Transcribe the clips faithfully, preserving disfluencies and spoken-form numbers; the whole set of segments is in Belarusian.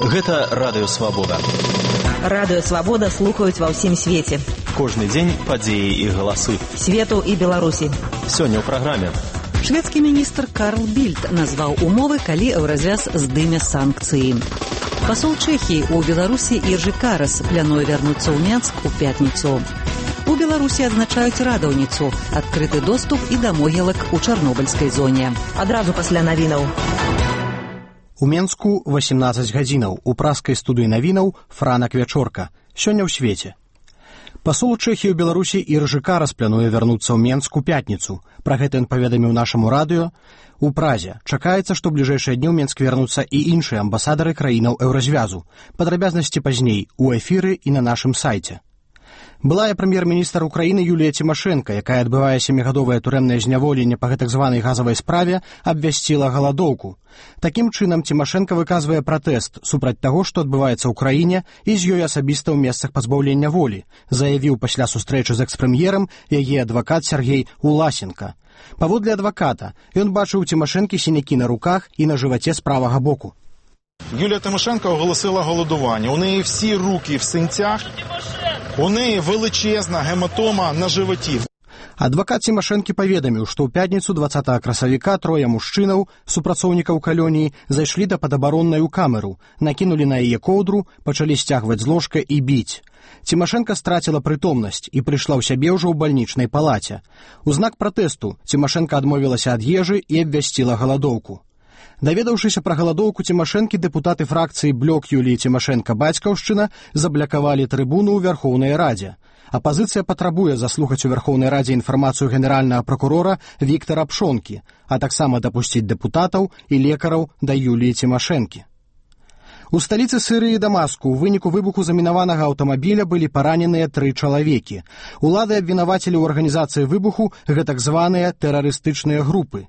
Гэта Радыё Свабода. Радыё Свабода слухаюць ва ўсім свеце. Кожны дзень падзеі і галасы Свету і Беларусі. Сёння ў праграме. Шведскі міністр Карл Більд назваў умовы, калі Еўразвяз здыме санкцыі. Пасол Чэхіі ў Беларусі Іржы Карас плануе вярнуцца ў Менск у пятніцу. У Беларусі адзначаюць радаўніцу, адкрыты доступ і да могілак у чарнобыльскай зоне. Адразу пасля навінаў. У Менску васемнаццаць гадзінаў. У праскай студыі навінаў Франак Вячорка. Сёння ў свеце. Пасол Чэхіі ў Беларусі Іржы Карас плануе вярнуцца ў Менск у пятніцу. Пра гэта ён паведаміў нашаму радыё. У Празе чакаецца, што ў бліжэйшыя дні ў Менск вернуцца і іншыя амбасадары краінаў Еўразвязу. Падрабязнасці пазней у эфіры і на нашым сайце. Былая прэм'ер-міністр Украіны Юлія Цімашэнка, якая адбывае сямігадовае турэмнае зняволенне па гэтак званай газавай справе, абвясціла галадоўку. Такім чынам Цімашэнка выказвае пратэст супраць таго, што адбываецца ў краіне і з ёй асабіста ў месцах пазбаўлення волі, заявіў пасля сустрэчы з экс-прэм'ерам яе адвакат Сергей Уласенка. Паводле адваката, ён бачыў у Цімашэнкі сінякі на руках і на жываце з правага боку. Юлія Тимошенко оголосила голодування. У неї всі руки в синцях, у неї величезна гематома на животі. Адвакат Цімашэнкі паведаміў, што ў пятніцу дваццатага красавіка трое мужчынаў, супрацоўнікаў калоніі, зайшлі да падабароннай у камеру, накінулі на яе коўдру, пачалі сцягваць з ложка і біць. Цімашэнка страціла прытомнасць і прыйшла ў сябе ўжо ў бальнічнай палаце. У знак пратэсту Цімашэнка адмовілася ад ежы і абвясціла галадоўку. Даведаўшыся пра галадоўку Цімашэнкі, дэпутаты фракцыі блок Юліі Цімашэнка-Бацькаўшчына заблакавалі трыбуну ў Вярхоўнай Радзе. Апазіцыя патрабуе заслухаць у Вярхоўнай Радзе інфармацыю генеральнага пракурора Віктара Пшонкі, а таксама дапусціць дэпутатаў і лекараў да Юліі Цімашэнкі. У сталіцы Сірыі Дамаску ў выніку выбуху замінаванага аўтамабіля былі параненыя тры чалавекі. Улады абвінавацілі ў арганізацыі выбуху гэтак званыя тэрарыстычныя групы.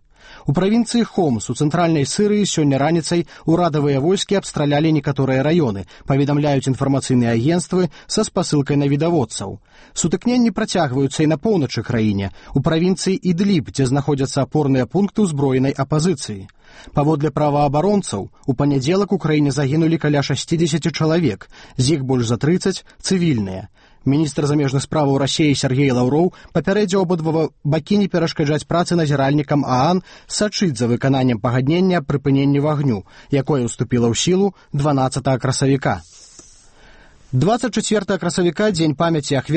У правінцыі Хомс у цэнтральнай Сірыі сёння раніцай урадавыя войскі абстралялі некаторыя раёны, паведамляюць інфармацыйныя агенцтвы са спасылкай навідаводцаў. Сутыкненні працягваюцца і на поўначы краіне, у правінцыі Ідліб, дзе знаходзяцца апорныя пункты ўзброенай апазіцыі. Паводле праваабаронцаў, у панядзелак у краіне загінулі каля шасцідзесят чалавек, з іх больш за трыццаць цывільныя. Міністр замежных справаў Расіі Сергей Лаўроў папярэдзіў абодва бакі не перашкаджаць працы назіральнікам ААН сачыць за выкананнем пагаднення аб прыпыненні вагню, якое ўступіла ў сілу дванаццатага красавіка. дваццаць чацвёртага красавіка дзень памяці ахвяр